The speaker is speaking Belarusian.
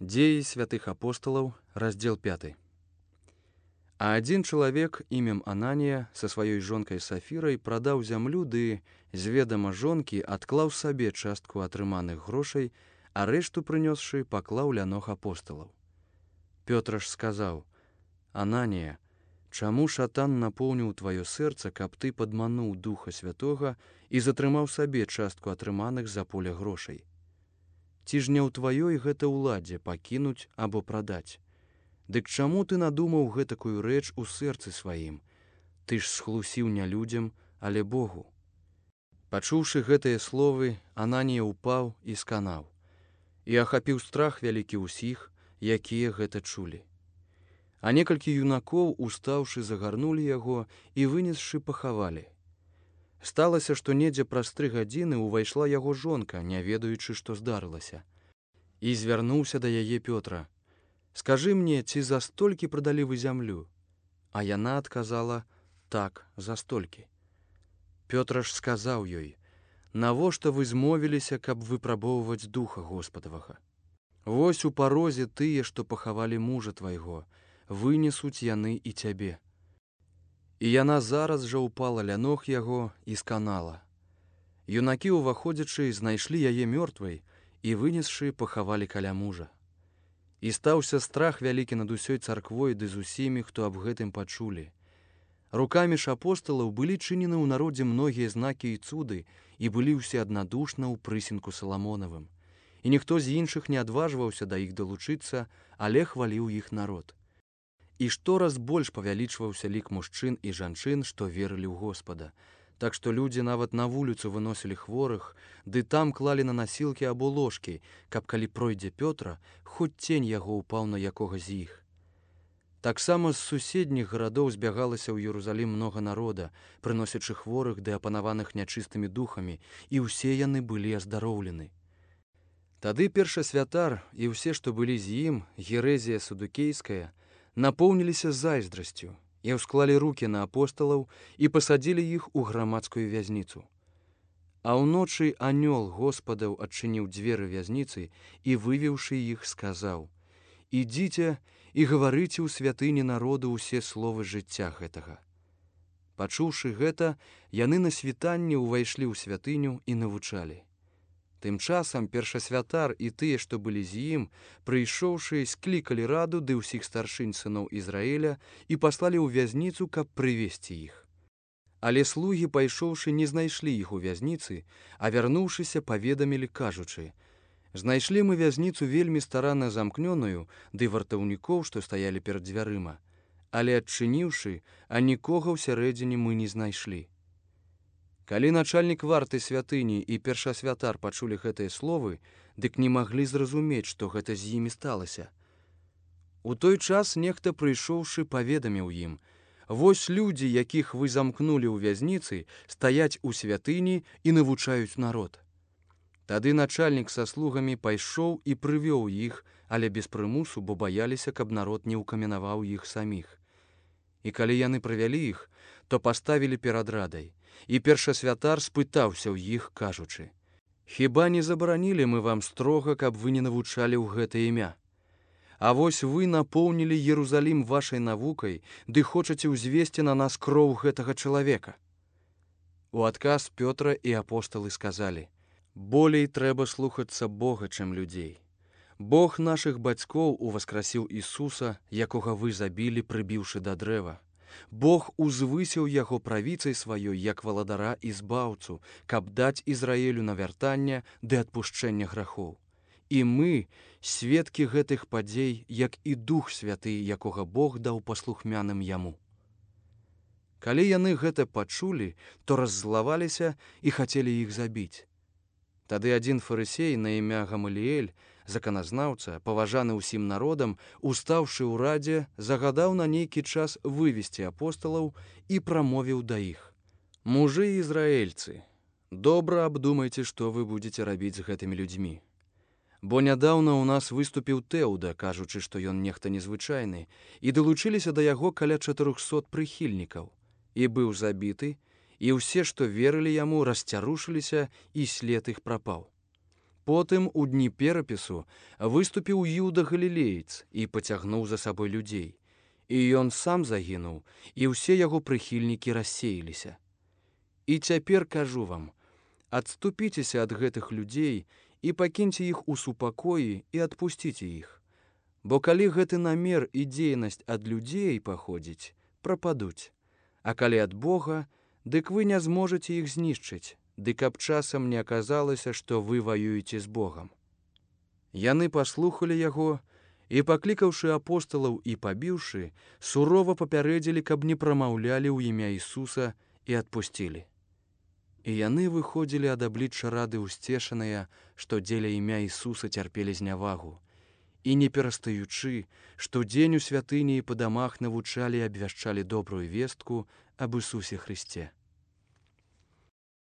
Дзеі святых апостолаў, раздзел 5. А адзін чалавек імем Ананія са сваёй жонкай Сафірай прадаў зямлю ды з ведама жонкі адклаў сабе частку атрыманых грошай, а рэшту прынёсшы паклаў ля ног апосталаў. Пётр ж сказаў: «Ананія, чаму шатан напоўніў тваё сэрца, каб ты падмануў Духа Святога і затрымаў сабе частку атрыманых за поля грошай? Ці ж не ў тваёй гэта ўладзе пакінуць або прадаць? Дык чаму ты надумаў гэтакую рэч у сэрцы сваім? Ты ж схлусіў не людзям, але Богу». Пачуўшы гэтыя словы, Ананія ўпаў і сканаў, і ахапіў страх вялікі ўсіх, якія гэта чулі. А некалькі юнакоў, устаўшы, загарнулі яго і, вынесшы, пахавалі. Сталася, што недзе праз 3 гадзіны ўвайшла яго жонка, не ведаючы, што здарылася. І звярнуўся да яе Пётра: «Скажы мне, ці за столькі прадалі вы зямлю?» А яна адказала: «Так, за столькі». Пётр ж сказаў ёй: «Навошта вы змовіліся, каб выпрабоўваць Духа Господавага? Вось у парозе тыя, што пахавалі мужа твайго, вынесуць яны і цябе». І яна зараз жа ўпала ля ног яго і сканала. Юнакі, уваходзячы, знайшлі яе мёртвай і, вынесшы, пахавалі каля мужа. І стаўся страх вялікі над усёй царквой ды з усімі, хто аб гэтым пачулі. Рукамі ж апосталаў былі чынены ў народзе многія знакі і цуды, і былі ўсе аднадушна ў прысінку Саламонавым. І ніхто з іншых не адважваўся да іх далучыцца, але хваліў іх народ. І штораз больш павялічваўся лік мужчын і жанчын, што верылі ў Господа. Так што людзі нават на вуліцу выносілі хворых, ды там клалі на насілкі або ложкі, каб калі пройдзе Пётра, хоць цень яго ўпаў на якога з іх. Таксама з суседніх гарадоў збягалася ў Єрусалім многа народа, прыносячы хворых ды апанаваных нячыстымі духамі, і ўсе яны былі аздароўлены. Тады першасвятар і ўсе, што былі з ім, Герэзія Садукейская, напоўніліся зайздрасцю і ўсклалі рукі на апосталаў і пасадзілі іх у грамадскую вязніцу. А ўночы анёл Господаў адчыніў дзверы вязніцы і, вывеўшы іх, сказаў: «Ідзіце і гаварыце ў святыні народу ўсе словы жыцця гэтага». Пачуўшы гэта, яны на світанні ўвайшлі ў святыню і навучалі. Тым часам першасвятар і тыя, што былі з ім, прыйшоўшы, склікалі раду ды ўсіх старшынь сыноў Ізраіля і паслалі ў вязніцу, каб прывесці іх. Але слугі, пайшоўшы, не знайшлі іх у вязніцы, а вярнуўшыся, паведамілі, кажучы: «Знайшлі мы вязніцу вельмі старанна замкнёную, ды вартаўнікоў, што стаялі перад дзвярыма, але адчыніўшы, а нікога ўсярэдзіне мы не знайшлі». Калі начальнік варты святыні і першасвятар пачулі гэтыя словы, дык не маглі зразумець, што гэта з імі сталася. У той час нехта, прыйшоўшы, паведаміў ім: «Вось людзі, якіх вы замкнулі ў вязніцы, стаяць у святыні і навучаюць народ». Тады начальнік са слугамі пайшоў і прывёў іх, але без прымусу, бо баяліся, каб народ не ўкаменаваў іх саміх. І калі яны прывялі іх, то паставілі перад радай. І першасвятар спытаўся ў іх, кажучы: «Хіба не забаранілі мы вам строга, каб вы не навучалі ў гэта імя? А вось вы напоўнілі Єрусалім вашай навукай, ды хочаце ўзвесці на нас кроў гэтага чалавека». У адказ Пётра і апосталы сказалі: «Болей трэба слухацца Бога, чым людзей. Бог нашых бацькоў уваскрасіў Ісуса, якога вы забілі, прыбіўшы да дрэва. Бог узвысіў яго правіцай сваёй, як валадара і збаўцу, каб даць Ізраілю навяртанне ды адпушчэнне грахоў. І мы сведкі гэтых падзей, як і Дух Святы, якога Бог даў паслухмяным яму». Калі яны гэта пачулі, то раззлаваліся і хацелі іх забіць. Тады адзін фарысей на імя Гамаліэль, заканазнаўца, паважаны ўсім народам, устаўшы ў радзе, загадаў на нейкі час вывесці апосталаў і прамовіў да іх: «Мужы ізраэльцы, добра абдумайце, што вы будзеце рабіць з гэтымі людзьмі. Бо нядаўна ў нас выступіў Тэўда, кажучы, што ён нехта незвычайны, і далучыліся да яго каля 400 прыхільнікаў, і быў забіты, і ўсе, што верылі яму, расцярушыліся, і след іх прапаў. Потым у дні перапісу выступіў Юда Галілеец і пацягнуў за сабой людзей. І ён сам загінуў, і ўсе яго прыхільнікі рассеяліся. І цяпер кажу вам, адступіцеся ад гэтых людзей і пакіньце іх у супакоі і адпусціце іх. Бо калі гэты намер і дзейнасць ад людзей паходзіць, прападуць. А калі ад Бога, дык вы не зможаце іх знішчыць, дык аб часам не аказалася, што вы ваюеце з Богам. Яны паслухалі яго і, паклікаўшы апосталаў і пабіўшы, сурова папярэдзілі, каб не прамаўлялі ў імя Ісуса, і адпусцілі. І яны выходзілі ад аблічча рады ўсцешаныя, што дзеля імя Ісуса цярпелі знявагу, і не перастаючы, штодзень у святыні і па дамах навучалі і абвяшчалі добрую вестку аб Ісусе Хрысце.